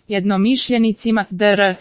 Jednomišljenicima dr.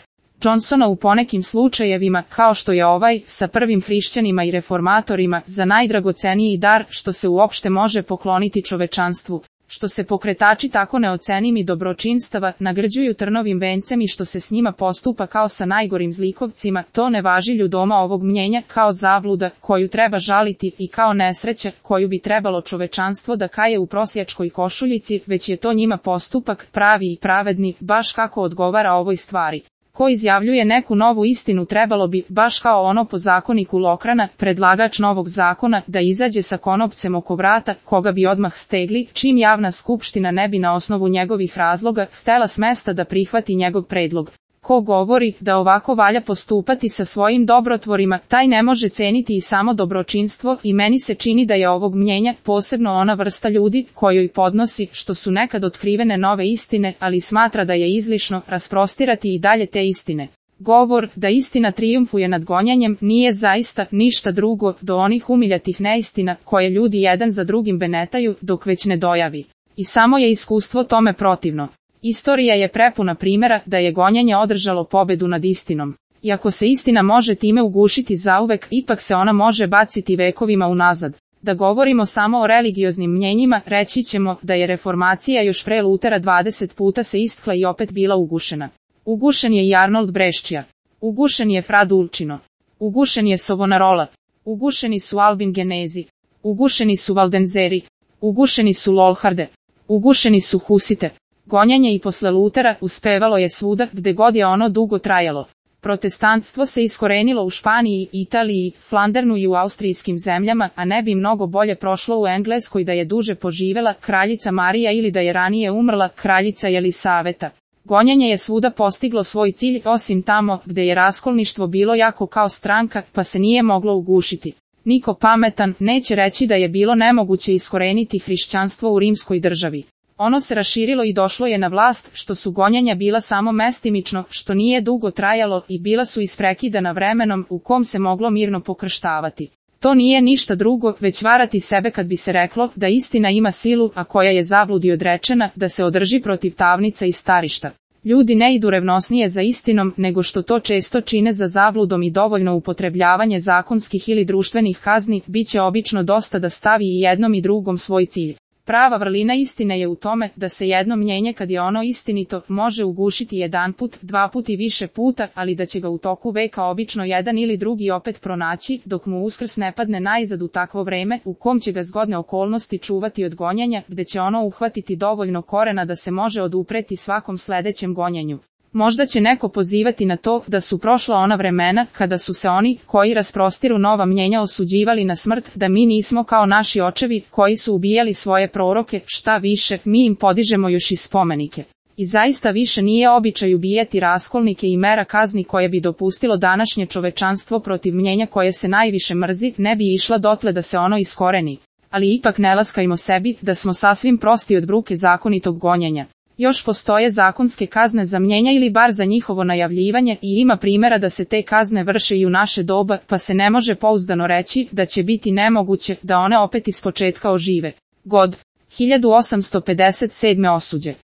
Johnsona u ponekim slučajevima, kao što je ovaj, sa prvim hrišćanima i reformatorima, za najdragoceniji dar što se uopšte može pokloniti čovečanstvu, što se pokretači tako neocenim i dobročinstava nagrđuju trnovim vencem i što se s njima postupa kao sa najgorim zlikovcima, to ne važi ljudoma ovog mnjenja kao zabluda koju treba žaliti i kao nesreća koju bi trebalo čovečanstvo da kaje u prosjačkoj košuljici, već je to njima postupak pravi i pravedni, baš kako odgovara ovoj stvari. Ko izjavljuje neku novu istinu trebalo bi, baš kao ono po zakoniku Lokrana, predlagač novog zakona, da izađe sa konopcem oko vrata, koga bi odmah stegli, čim javna skupština ne bi na osnovu njegovih razloga htela s mesta da prihvati njegov predlog. Ko govori da ovako valja postupati sa svojim dobrotvorima, taj ne može ceniti i samo dobročinstvo i meni se čini da je ovog mnjenja posebno ona vrsta ljudi kojoj podnosi što su nekad otkrivene nove istine, ali smatra da je izlišno rasprostirati i dalje te istine. Govor da istina trijumfuje nad gonjanjem nije zaista ništa drugo do onih umiljatih neistina koje ljudi jedan za drugim benetaju dok već ne dojavi. I samo je iskustvo tome protivno. Istorija je prepuna primjera da je gonjenje održalo pobedu nad istinom. Iako se istina može time ugušiti zauvek, ipak se ona može baciti vekovima unazad. Da govorimo samo o religioznim mnjenjima, reći ćemo da je reformacija još pre Lutera 20 puta se istkla i opet bila ugušena. Ugušen je i Arnold Brescia. Ugušen je Fra Dulcino. Ugušen je Savonarola. Ugušeni su Albin Genezi. Ugušeni su Valdenzeri. Ugušeni su Lolharde. Ugušeni su Husite. Gonjanje i posle Lutera uspevalo je svuda gde god je ono dugo trajalo. Protestantstvo se iskorenilo u Španiji, Italiji, Flandernu i u austrijskim zemljama, a ne bi mnogo bolje prošlo u Engleskoj da je duže poživela kraljica Marija ili da je ranije umrla kraljica Jelisaveta. Gonjanje je svuda postiglo svoj cilj, osim tamo gde je raskolništvo bilo jako kao stranka, pa se nije moglo ugušiti. Niko pametan neće reći da je bilo nemoguće iskoreniti hrišćanstvo u rimskoj državi. Ono se raširilo i došlo je na vlast, što su gonjanja bila samo mestimično, što nije dugo trajalo i bila su isprekidana vremenom u kom se moglo mirno pokrštavati. To nije ništa drugo, već varati sebe kad bi se reklo da istina ima silu, a koja je zabludi odrečena, da se održi protiv tamnica i starišta. Ljudi ne idu revnosnije za istinom, nego što to često čine za zabludom i dovoljno upotrebljavanje zakonskih ili društvenih kazni, bit će obično dosta da stavi i jednom i drugom svoj cilj. Prava vrlina istine je u tome da se jedno mnjenje kad je ono istinito može ugušiti jedanput, dva put i više puta, ali da će ga u toku veka obično jedan ili drugi opet pronaći, dok mu Uskrs ne padne najzad u takvo vreme u kom će ga zgodne okolnosti čuvati od gonjenja, gde će ono uhvatiti dovoljno korena da se može odupreti svakom sledećem gonjenju. Možda će neko pozivati na to da su prošla ona vremena kada su se oni koji rasprostiru nova mnjenja osuđivali na smrt, da mi nismo kao naši očevi koji su ubijali svoje proroke, šta više, mi im podižemo još i spomenike. I zaista više nije običaj ubijati raskolnike i mera kazni koje bi dopustilo današnje čovečanstvo protiv mnjenja koje se najviše mrzi, ne bi išla dotle da se ono iskoreni. Ali ipak ne laskajmo sebi da smo sasvim prosti od bruke zakonitog gonjenja. Još postoje zakonske kazne za mnjenja ili bar za njihovo najavljivanje i ima primjera da se te kazne vrše i u naše doba, pa se ne može pouzdano reći da će biti nemoguće da one opet ispočetka ožive. God. 1857. osuđe.